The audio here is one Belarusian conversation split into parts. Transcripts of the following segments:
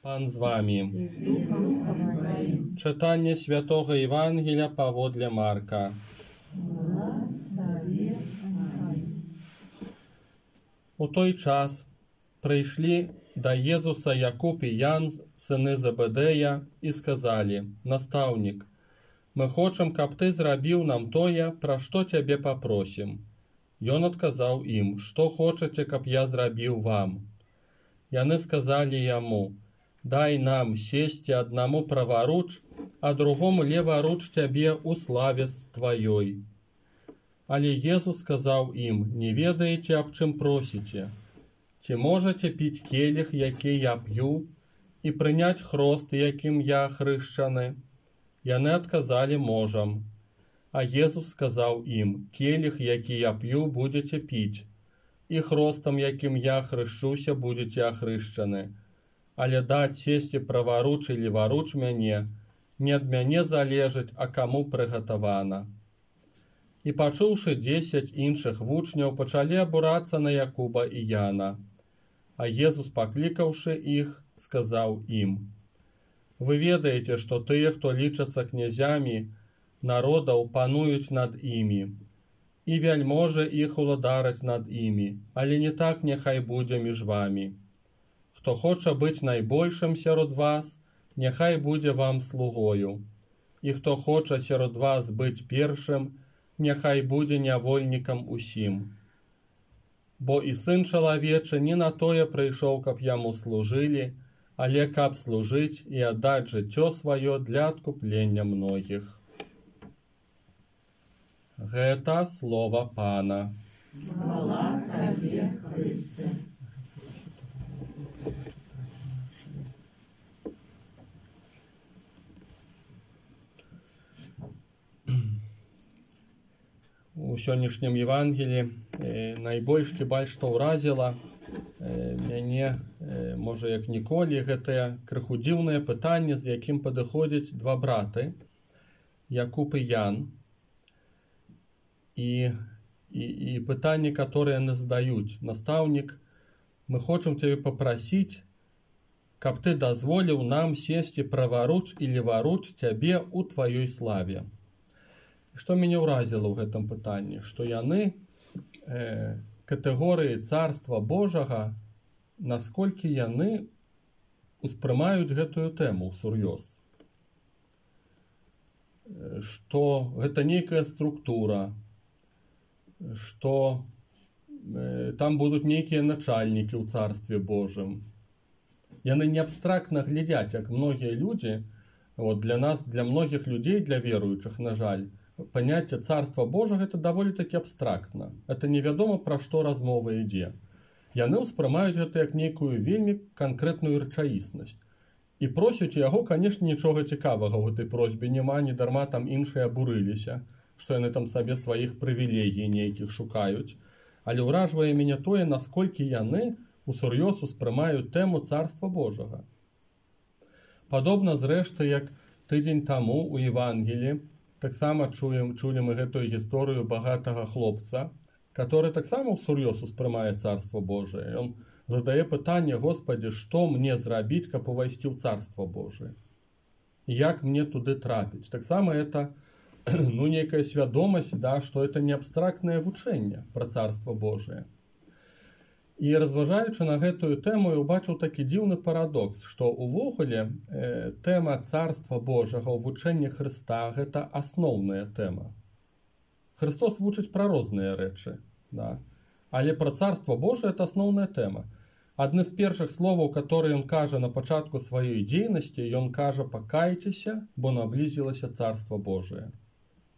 Пан з вами. Читання Святого Євангелія паводле Марка. У той час прийшли до Єзуса Якуб і Ян, сини Зебедея, і сказали: «Наставник, мы хочем, каб ты зрабіў нам тое, пра што цябе папросім». Ён адказаў ім: «Што хочаце, каб я зрабіў вам?» Яны сказали яму: «Дай нам сесці аднаму праваруч, а другому леваруч цябе ў славе тваёй». Але Езус сказаў ім: «Не ведаеце, аб чым просіце? Ці можаце піць келіх, які я п'ю, і прыняць хрост, якім я хрышчаны?» Яны адказалі: «Можам». А Езус сказаў ім: «Келіх, які я п'ю, будзеце піць, і хростам, якім я хрышчуся, будзеце ахрышчаны. Але даць сесці праваруч і леваруч мяне, не ад мяне залежыць, а каму прыгатавана». І пачуўшы 10 іншых вучняў, пачалі абурацца на Якуба і Яна. А Езус, паклікаўшы іх, сказаў ім: «Вы ведаеце, што тыя, хто лічацца князямі народаў, пануюць над імі, і вяльможы іх уладараць над імі, але не так няхай будзе між вамі. Хто хоча быць найбольшым сярод вас, няхай будзе вам слугою, і хто хоча сярод вас быць першым, няхай будзе нявольнікам усім. Бо і сын чалавечы не на тое прыйшоў, каб яму служылі, але каб служыць і аддаць жыццё сваё для адкуплення многіх». Гэта слова Пана. Хвала Табе, Христе. У сённяшнім Евангелі найбольш хіба што ўразіла мяне, можа як ніколі, гэтае крыху дзіўнае пытанне, з якім падыходзяць два браты, Якуб і Ян. І пытанне, которое яны задаюць: «Наставник, мы хочам цябе папрасіць, каб ты дазволіў нам сесці праваруч і леваруч цябе ў тваёй славе». Што мяне ўразіла ў гэтым пытанні, што яны катэгорыі Царства Божага, насколькі яны успрымаюць гэтую тэму ўсур'ёз. Што гэта нейкая структура, што там будуць нейкія начальнікі ў Царстве Божым. Яны не абстрактна глядзяць, як многія людзі, для нас, для многіх людзей, для веруючых, на жаль, паняцце Царства Божага это даволі такі абстрактна. Это невядома, пра што размова ідзе. Яны ўспрымаюць гэта як нейкую вельмі канкрэтную рэчаіснасць. І просяць яго, канешне, нічога цікавага ў гэтай просьбе няма, не дарма там іншыя абурыліся, што яны там сабе сваіх прывілегій нейкіх шукаюць. Але ўражвае мяне тое, насколькі яны усур'ёз успрымаюць тэму Царства Божага. Падобна, зрэшты, як тыдзень таму у Евангелі таксама чулі мы гэтую гісторыю багатага хлопца, который таксама усур'ёз успрымае Царство Божие. Ён задае пытанне: «Господи, што мне зрабіць, каб увайсці ў Царство Божие? Як мне туды трапіць?» Таксама это нейкая свядомасць, што это не абстрактнае вучэнне пра Царство Божие. І разважаючы на гэтую тэму, я ўбачыў такі дзіўны парадокс, што увогуле тэма Царства Божага ў вучэнні Хрыста — гэта асноўная тэма. Христос вучыць пра розныя рэчы, але пра Царство Божие — это асноўная тэма. Адны з першых словаў, которые ён кажа на пачатку сваёй дзейнасці, ён кажа: «Пакайцеся, бо наблізілася Царство Божие».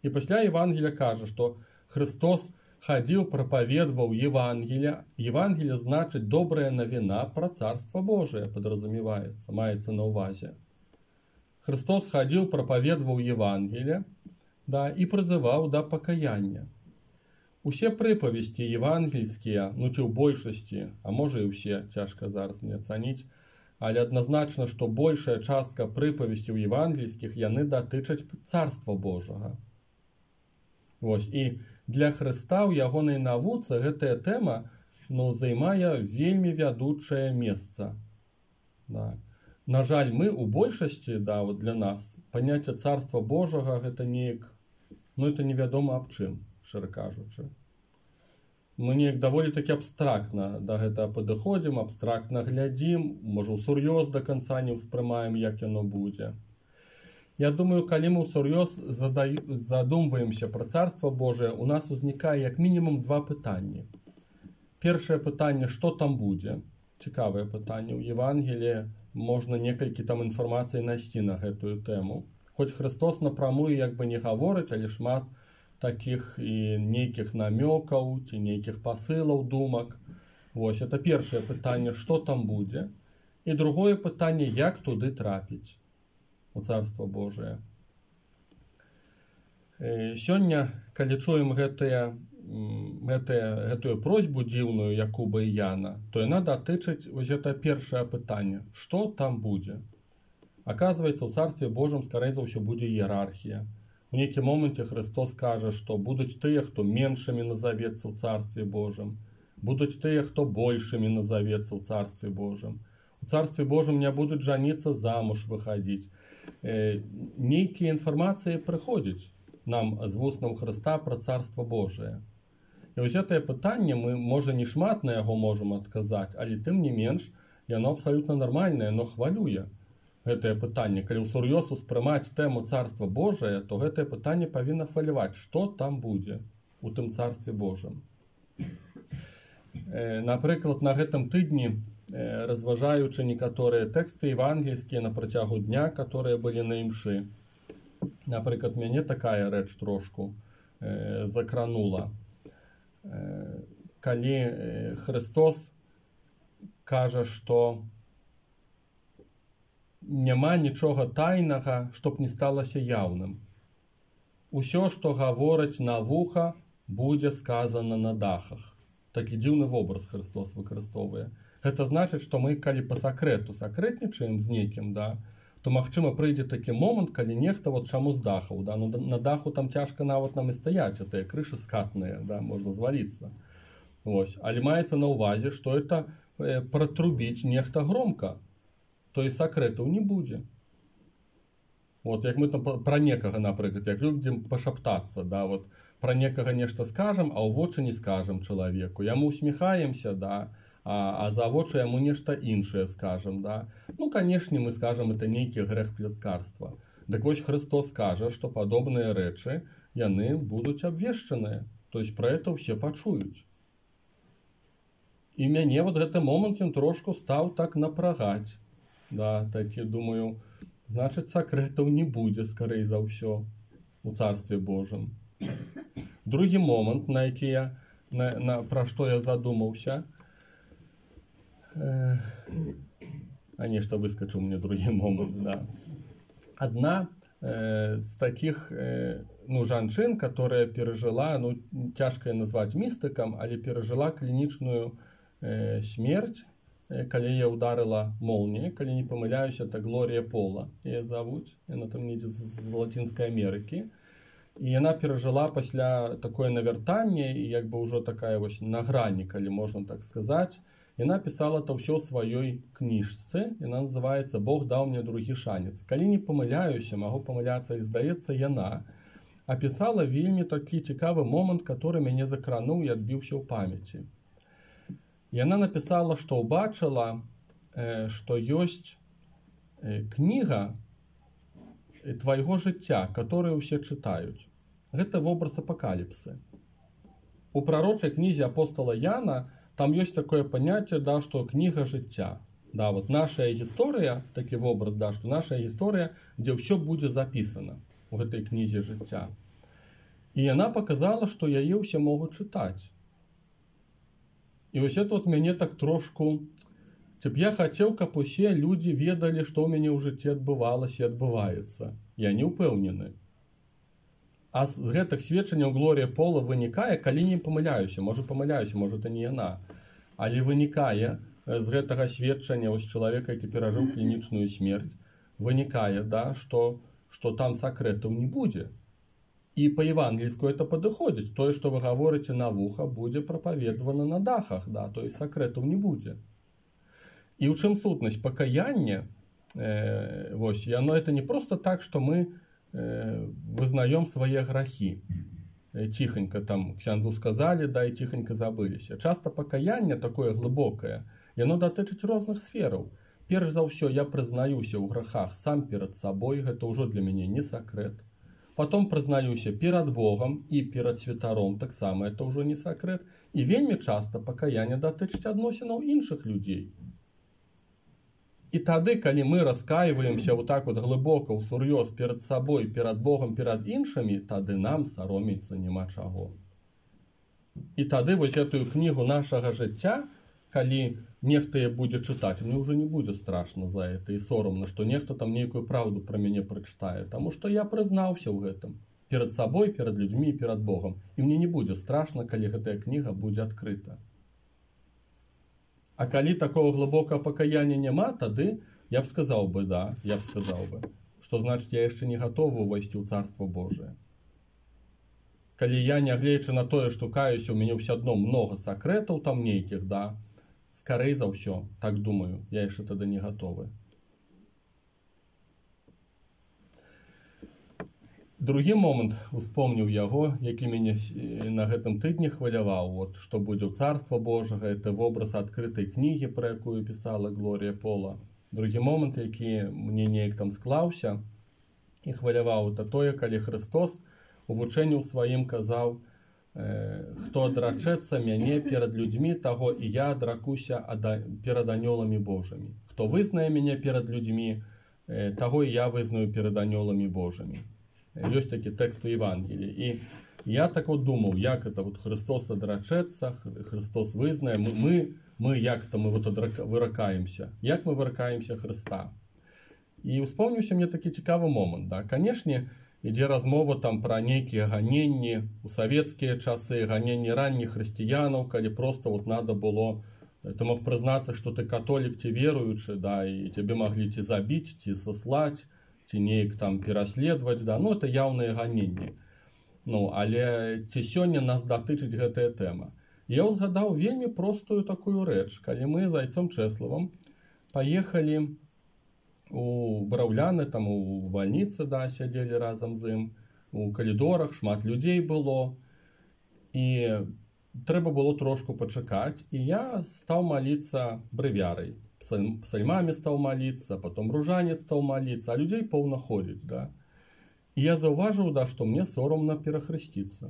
І пасля Евангелія кажа, што Христос хадзіў, прапаведваў Евангелие. Евангелие значыць добрая навіна пра Царство Божие, подразумеваецца, маецца на ўвазе. Христос хадзіў, прапаведваў Евангелие, і прызываў да пакаяння. Усе прыпавесці евангельскія, ці ў большасці, а можа і ўсе, цяжка зараз мне ацаніць, але адназначна, што большая частка прыпавесцяў евангельскіх, яны датычаць Царства Божага. І для Хрыста ў ягонай навуцы гэтая тэма займае вельмі вядучае месца. На жаль, мы у большасці, да, вот для нас паняцце царства Божага гэта неяк, ну это невядома аб чым, шчыра кажучы. Мы неяк даволі такі абстрактна да гэтага падыходзім, абстрактна глядзім, можа ўсур'ёз да канца не ўспрымаем, як яно будзе. Я думаю, калі мы ўсур'ёз задумваемся пра царства Божае, у нас узнікае як мінімум два пытанні. Першае пытанне, што там будзе? Цікавае пытанне. У Евангеліі можна некалькі там інфармацыі насці на гэтую тэму. Хоць Христос напрамую як бы не гаворыць, але шмат такіх і нейкіх намёкаў ці нейкіх пасылаў, думак. Вось, это першае пытанне, што там будзе. І другое пытанне, як туды трапіць у Царства Божие. Сёння, калі чуем гэтую просьбу дзіўную Якуба і Яна, то яна датычыць вось гэта першае пытанне, што там будзе. Аказваецца, у Царстве Божым, скорей за ўсё, будзе іерархія. У нейкім моменце Христос кажа, што будуць тыя, хто меншымі назавецца ў Царстве Божым, будуць тыя, хто большымі назавецца ў Царстве Божым. У Царстве Божым не будуць жаніцца, замуж выхадзіць. Нейкія інфармацыі прыходзяць нам з вуснаў Хрыста пра Царства Божие. І вось гэтае пытанне, мы, можа, не шмат на яго можам адказаць, але тым не менш, яно абсалютна нармальнае, но хвалюе. Гэтае пытанне, калі ўсур'ёз успрымаць тэму Царства Божие, то гэтае пытанне павінна хваляваць, што там будзе у тым Царстве Божым. Напрыклад, на гэтым тыдні, разважаючы некаторыя тэксты евангельскія на працягу дня, которые былі на імшы, напрыклад, мяне такая рэч трошку закранула. Калі Христос кажа, што няма нічога тайнага, чтоб не сталася яўным. Усё, што гавораць на вуха, будзе сказана на дахах. Такі дзіўны вобраз Христос выкарыстоўвае. Гэта значыць, што мы, калі па сакрэту сакрэтнічаем з нейкім, да, то, магчыма, прыйдзе такі момант, калі нехта, вот чаму з дахаў, да, ну, на даху там цяжка нават нам і стаяць, а тыя крышы скатныя, да, можна зваліцца. Вось. Але маецца на ўвазе, што это пратрубіць нехта громка, то і сакрэтаў не будзе. Вот, як мы там пра некага, напрыклад, як людзям пашаптацца, да, вот, пра некага нешта скажам, а ў вочы не скажам чалавеку. Яму усміхаемся, да, а за вочы яму нешта іншае скажам, да. Ну, канешне, мы скажам, это нейкі грэх пляскарства. Дык вось Христос кажа, што падобныя рэчы, яны будуць абвешчаныя. То есть пра это ўсе пачуюць. І мяне вот гэты момант ён трошку стаў так напрагаць. Да, такі, думаю, значыць, сакрэтаў не будзе, скорей за ўсё, у Царстве Божым. Другі момант, на які я, пра што я задумаўся, а нешта выскачыў мне другі момант, да. Адна з такіх, ну, жанчын, которая перажыла, ну, цяжка назваць містыкам, але перажыла клінічную смерць, калі я ударила молния, калі не памыляюся, это Глория Пола яе завуць, яна там недзе з Латинской Америки, і яна перажыла пасля такое навяртанне, і як бы ўжо такая вось на грані, калі можна так сказаць. Яна пісала это ўсё ў сваёй кніжцы, яна называецца «Бог даў мне другі шанец». Калі не памыляюся, магу памыляцца, і здаецца, яна апісала вельмі такі цікавы момант, который мяне закрануў і адбіўся ў памяці. Яна напісала, што ўбачыла, што ёсць кніга твайго жыцця, которую ўсе чытаюць. Гэта вобраз апакаліпсы. У прарочай кнізе апостола Яна там ёсць такое паняцце, да, што кніга жыцця. Да, вот наша гісторыя, такі вобраз, да, што наша гісторыя, дзе ўсё будзе запісана у гэтай кнізе жыцця. І яна паказала, што яе ўсе могуць чытаць. І вось это вот мяне так трошку... Б я хацеў, каб усе людзі ведалі, што ў мяне ў жыцці адбывалася і адбываецца. Я не ўпэўнены. А з гэтых сведчанняў Глория Пола вынікае, калі не памыляюся, можа, это не яна, але вынікае з гэтага сведчання вось чалавека, які перажыў клінічную смерць, вынікае, да, што там сакрэтаў не будзе. І па-евангельску это падыходзіць. Тое, што вы гаворыце на вуха, будзе прапаведвана на дахах, да, то есть сакрэтаў не будзе. І ў чым сутнасць? Пакаянне Вось, и оно это не просто так, что мы вызнаем свои грехи. Тихонько там ксяндзу сказали, да, и тихонько забыліся. Часто покаяние такое глубокое, и оно датычыць розных сфераў. Перш за ўсё я прызнаюся ў грахах сам перад сабой, гэта ўжо для мяне не сакрэт. Потом прызнаюся перад Богом і перад святаром, таксама это ўжо не сакрэт. І вельмі часта пакаянне датычыць адносінаў іншых людзей. І тады, калі мы раскаиваемся вот так вот глыбока, усур'ёз перад сабой, перад Богом, перад іншымі, тады нам саромецца няма чаго. І тады вось этую кнігу нашага жыцця, калі нехта яе будзе чытаць, мне ўжо не будзе страшна за это і сорамна, што нехта там нейкую праўду пра мяне прачытае, таму што я прызнаўся ў гэтым перад сабой, перад людзьмі і перад Богом. І мне не будзе страшна, калі гэтая кніга будзе адкрыта. А калі такого глыбокага пакаяння няма, тады я б сказаў бы, да, што значыць я яшчэ не гатовы ўвайсці ў Царство Божие. Калі я, нягледзячы на тое, што каюся, у мяне ўсё адно многа сакрэтаў там нейкіх, да, скорей за ўсё, так думаю, я яшчэ тады не гатовы. Другі момант, успомніў яго, які мяне на гэтым тыдні хваляваў, вот, што будзе ў Царства Божага, это вобраз адкрытай кнігі, пра якую пісала Глорія Пола. Другі момант, які мне неяк там склаўся і хваляваў, это тое, калі Христос у вучэнні ў сваім казаў, хто адрачэцца мяне перад людзьмі, таго і я адракуся перад анёламі Божымі. Хто вызнае мяне перад людзьмі, таго і я вызнаю перад анёламі Божымі. Ёсць такі тэкст у Евангелии. І я так вот думаў, як это вот Христос адрачэцца, Христос вызнае, мы як-то мы вот выракаемся. Як мы выракаемся Христа? І успомніўся мне такі цікавы момант. Да? Канешне, ідзе размова там пра нейкія ганенні у савецкія часы, ганенні ранніх хрысціянаў, калі просто вот надо было, ты мог прызнацца, што ты католік ці веруючы, да, і цябе маглі ці забіць, ці саслаць, ці неяк там пераследаваць, да, ну это яўныя ганенні. Ну, але ці сёння нас датычыць гэтая тэма. Я ўзгадаў вельмі простую такую рэч, калі мы з Айцом Чэславам паехалі у Браўляны, там у бальніцы, да, сядзелі разам з ім, у калідорах шмат людзей было, і трэба было трошку пачакаць, і я стаў маліцца брывярай. Псальмамі стаў маліцца, потом ружанец стаў маліцца, а людзей поўна ходзіць, да. І я заўважыў, да, што мне сорамна перахрысціцца.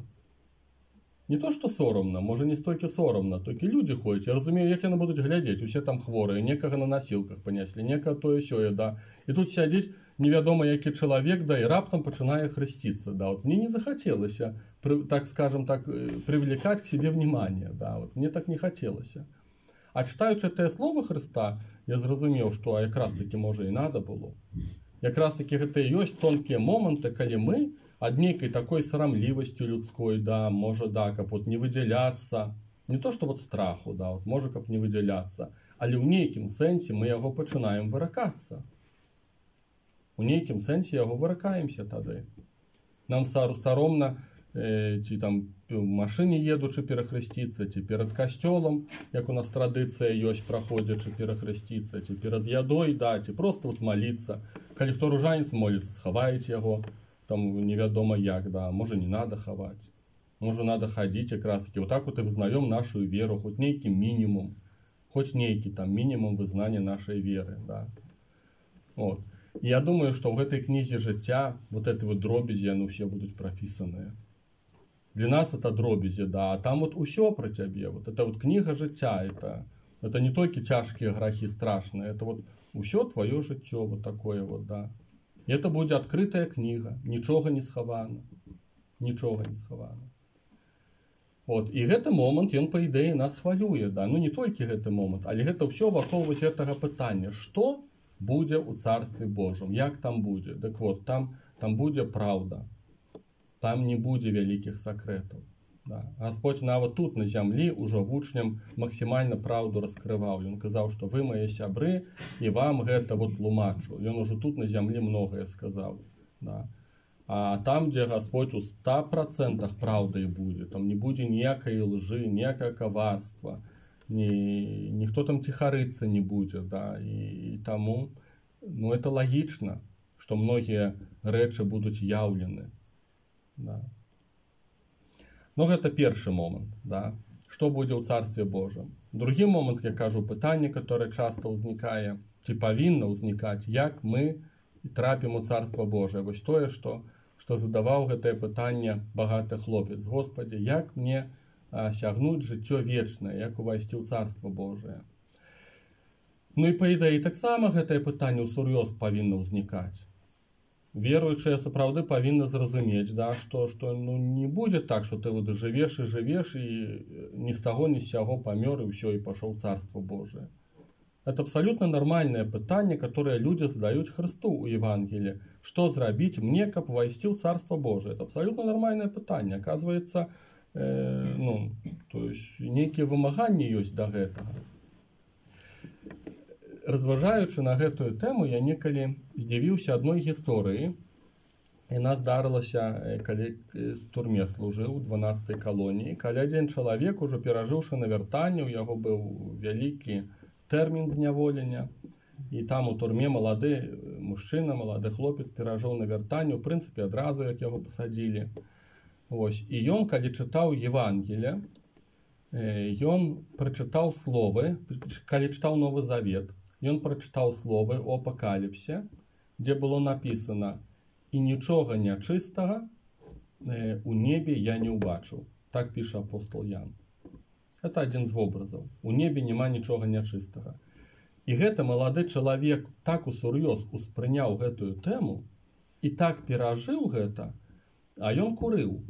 Не то, што сорамна, можа не столькі сорамна, толькі людзі ходзяць. Я разумею, як яны будуць глядзець, усе там хворыя, некага на насілках паняслі, некага тое сёе, да. І тут сядзіць невядома які чалавек, да, і раптам пачынае хрысціцца, да. Вот мне не захацелася, так скажем так, привлекать к себе внимание, да. Вот мне так не хацелася. А читаючи те слово Христа, я зрозумів, що якраз таки може і надо було. Якраз таки гэта і ёсць тонкія моманты, калі мы ад нейкай такой сарамлівасцю людской, да, можа, да, каб вот не выдзяляцца, не то што вот страху, да, вот можа, каб не выдзяляцца, але ў нейкім сэнсе мы яго пачынаем выракацца. У нейкім сэнсе яго выракаемся тады. Нам саромна ці там в машыне едучы перахрысціцца, ці перад касцёлам, як у нас традыцыя ёсць, праходзячы перахрысціцца, ці перад ядой, да, ці просто вот маліцца. Калі хто ружанец моліцца, схаваюць яго, там невядома як, да, можа не надо хаваць. Можа надо хадзіць якраз таки, вот так вот і вызнаём нашу веру, хоць нейкі мінімум, хоць нейкі там мінімум вызнання нашай веры, да. Вот. І я думаю, што ў гэтай кнізе жыцця вот эти вот дробязі, яны ўсе будуць прапісаныя. Для нас это дробязі, да, а там вот усё про цябе, вот это вот книга жыцця, это не толькі цяжкія грахі страшныя, это вот усё твоё жыццё, вот такое вот, да. И это будзе адкрытая книга, нічога не схавана, нічога не схавана. Вот, і гэты момант, ён па ідэі нас хвалюе, да, ну не толькі гэты момант, але гэта ўсё вакол вось гэтага пытання, што будзе ў Царстве Божым, як там будзе, так вот, там будзе праўда. Там не будзе вялікіх сакрэтаў. Да. Господь нават тут на зямлі ўжо вучням максімальна праўду раскрываў. Ён казаў, што вы мае сябры і вам гэта вот тлумачу. Ён ужо тут на зямлі многае сказаў. Да. А там, дзе Господь у 100% праўдай будзе, там не будзе ніякай лжы, ніякае каварства, ніхто там ціхарыцца не будзе. Да. І таму Ну, это лагічна, што многія рэчы будуць яўлены. Да. Но гэта першы момант, да? Што будзе ў Царстве Божым. Другі момант, я кажу, пытанне, которое часто ўзнікае, ці павінна ўзнікаць, як мы трапім у Царство Божие. Вось тое, што задаваў гэтае пытанне багаты хлопец. Господи, як мне сягнуць жыццё вечнае, як увайсці ў Царство Божие. Ну і па ідэі таксама гэтае пытанне ўсур'ёз павінна ўзнікаць. Веруючыя сапраўды павінны зразумець, да, што ну, не будзе так, што ты вот жывеш і ні з таго, ні з сяго памёр і ўсё, і пашоў ў Царство Божие. Это абсолютно нормальное пытанне, которое люди задают Христу у Евангелии. Что зрабіць мне, каб войсці ў Царство Божие? Это абсолютно нормальное пытанне. Оказывается, то есть нейкія вымаганні ёсць да гэтага. Разважаючы на гэтую тэму, я некалі здзівіўся адной гісторыі. Яна здарылася, калі в турме служыў у 12-й калоніі. Калі адзін чалавек, ужо перажыўшы навяртанне, у яго быў вялікі тэрмін зняволення. І там у турме малады мужчына, малады хлопец перажыў навяртанне, у прынцыпе, адразу, як яго пасадзілі. Вось. І ён, калі чытаў Евангелие, ён прачытаў словы, калі чытаў Новы Завет, ён прачытаў словы о апакаліпсе, дзе было напісана: «І нічога нячыстага у небе я не ўбачыў». Так піша апостол Ян. Это адзін з вобразаў. У небе няма нічога нячыстага. І гэты малады чалавек так усур'ёз успрыняў гэтую тэму і так перажыў гэта, а ён курыў.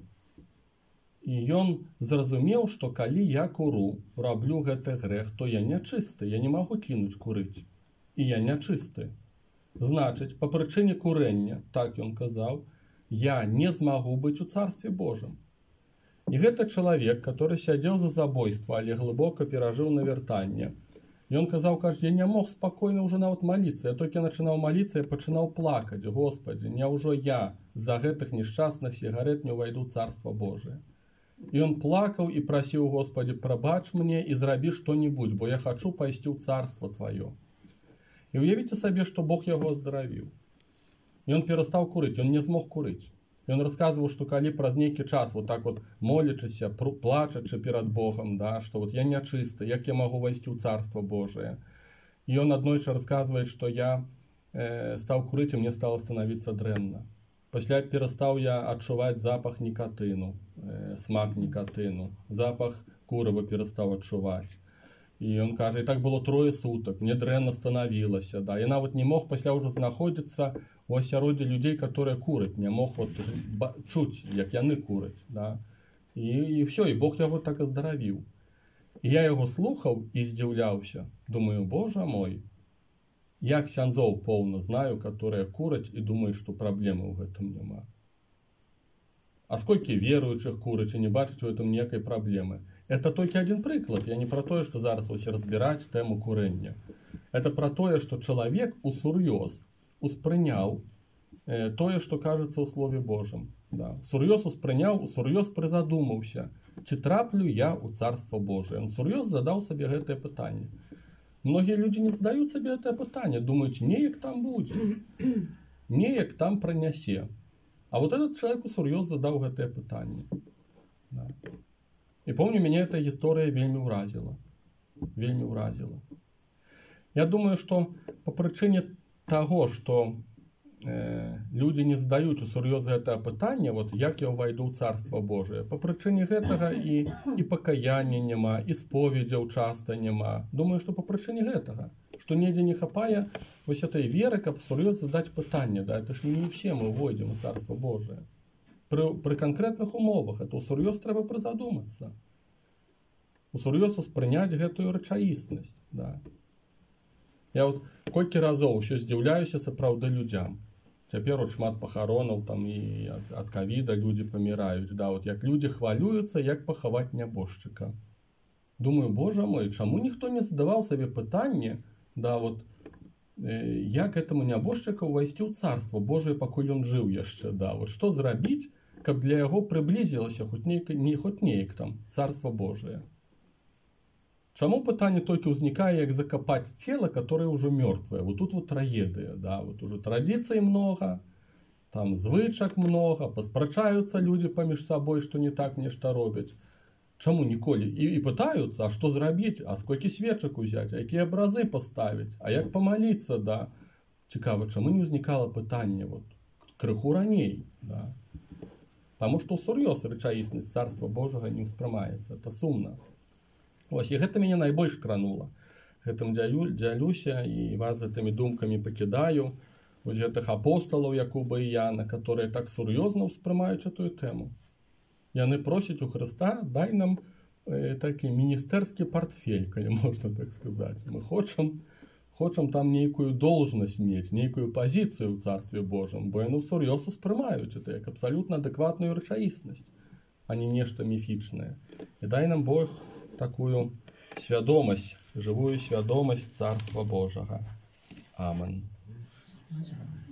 І ён зразумеў, што калі я куру, раблю гэты грэх, то я нячысты, я не магу кінуць курыць. І я нячысты. Значыць, па прычыне курэння, так ён казаў, я не змагу быць у Царстве Божым. І гэты чалавек, который сядзеў за забойства, але глыбока перажыў навяртанне, ён казаў, кажа, я не мог спакойна ўжо нават маліцца. Я толькі пачынаў маліцца, я пачынаў плакаць. Господи, няўжо я за гэтых нешчасных сігарет не ўвайду ў Царство Божие? І ён плакаў і прасіў: Господи, прабач мне і зрабі што-небудзь, бо я хачу пайсці ў Царство Твоё. І уявіце сабе, што Бог яго аздаравіў. Ён перастаў курыць, ён не змог курыць. Ён расказваў, што калі праз нейкі час вот так вот молячыся, плачачы перад Богом, да, што вот я нячысты, як я магу вайсці ў Царство Божие. І ён аднойчы расказвае, што я стаў курыць, і мне стало становіцца дрэнна. Пасля перастаў я адчуваць запах нікатыну, смак нікатыну, запах курыва перастаў адчуваць. І ён кажа, і так было 3 сутак, мне дрэнна станавілася, да. Я нават не мог пасля ўжо знаходзіцца у асяроддзі людзей, которые кураць, не мог вот чуць, як яны кураць, да. І ўсё, і Бог яго так аздаравіў. І я яго слухаў і здзіўляўся. Думаю, Боже мой, я ксяндзоў поўна знаю, которые кураць і думаюць, што праблемы ў гэтым няма. А сколькі веруючых кураць і не бачаць у гэтым ніякай праблемы? Это толькі адзін прыклад. Я не пра тое, што зараз вось разбіраць тэму курэння. Это пра тое, што чалавек усур'ёз успрыняў тое, што кажацца ў Слове Божым. Да. Сур'ёз успрыняў, усур'ёз прызадумаўся, ці траплю я ў Царство Божие. Он сур'ёз задаў сабе гэтае пытанне. Многія людзі не задаюць сабе гэтае пытанне, думаюць, неяк там будзе, неяк там пранясе. А вот этот человек усур'ёз задаў гэтае пытанне. Да. І помню, мяне эта гісторыя вельмі ўразіла. Вельмі ўразіла. Я думаю, што па прычыне таго, што людзі не задаюць усур'ёз гэтае пытанне, вот як я ўвайду ў Царство Божие, па прычыне гэтага і пакаяння няма, і споведзяў часта няма. Думаю, што па прычыне гэтага, што недзе не хапае вось этой веры, каб сур'ёз задаць пытанне, да, это ж не все мы ўвойдзем у Царство Божие. Пры канкрэтных умовах это усур'ёз трэба прызадумацца. Усур'ёз успрыняць гэтую рэчаіснасць, да. Я вот колькі разоў ўсё здзіўляюся сапраўды людзям. Цяпер от шмат пахаронаў там і ад ковіда людзі паміраюць, да, вот як людзі хвалююцца, як пахаваць нябожчыка. Думаю, Боже мой, чаму ніхто не задаваў сабе пытанне, да, вот як этому нябожчыку ўвайсці ў Царство Божие, пакуль ён жыў яшчэ, да, вот што зрабіць, каб для яго прыблізілася хоць неяк там Царство Божие. Чаму пытанне толькі ўзнікае, як закапаць цела, которое ўжо мёртвае. Вот тут вот трагедыя, да, вот уже традыцый много, там звычак много, паспрачаюцца людзі паміж сабой, што не так нешта робяць. Чаму ніколі? І пытаюцца, а што зрабіць, а сколькі свечак узяць, а якія абразы паставіць, а як памаліцца, да. Цікава, чаму не ўзнікала пытанне вот крыху раней, да. Таму што ўсур'ёз рэчаіснасць царства Божага не ўспрымаецца, это сумна. Вось, і гэта мяне найбольш кранула. Гэтым дзялюся і вас гэтымі думкамі пакідаю. Вось гэтых апосталаў Якуба і Яна, которые так сур'ёзна ўспрымаюць эту тэму. Яны просяць у Хрыста, дай нам такі міністэрскі партфель, калі можна так сказаць. Мы хочам там нейкую должнасць мець, нейкую пазіцыю ў Царстве Божым, бо яны сур'ёз успрымаюць это як абсалютна адэкватную рэчаіснасць, а не нешта міфічнае. І дай нам Бог такую свядомасць, жывую свядомасць Царства Божага. Амен.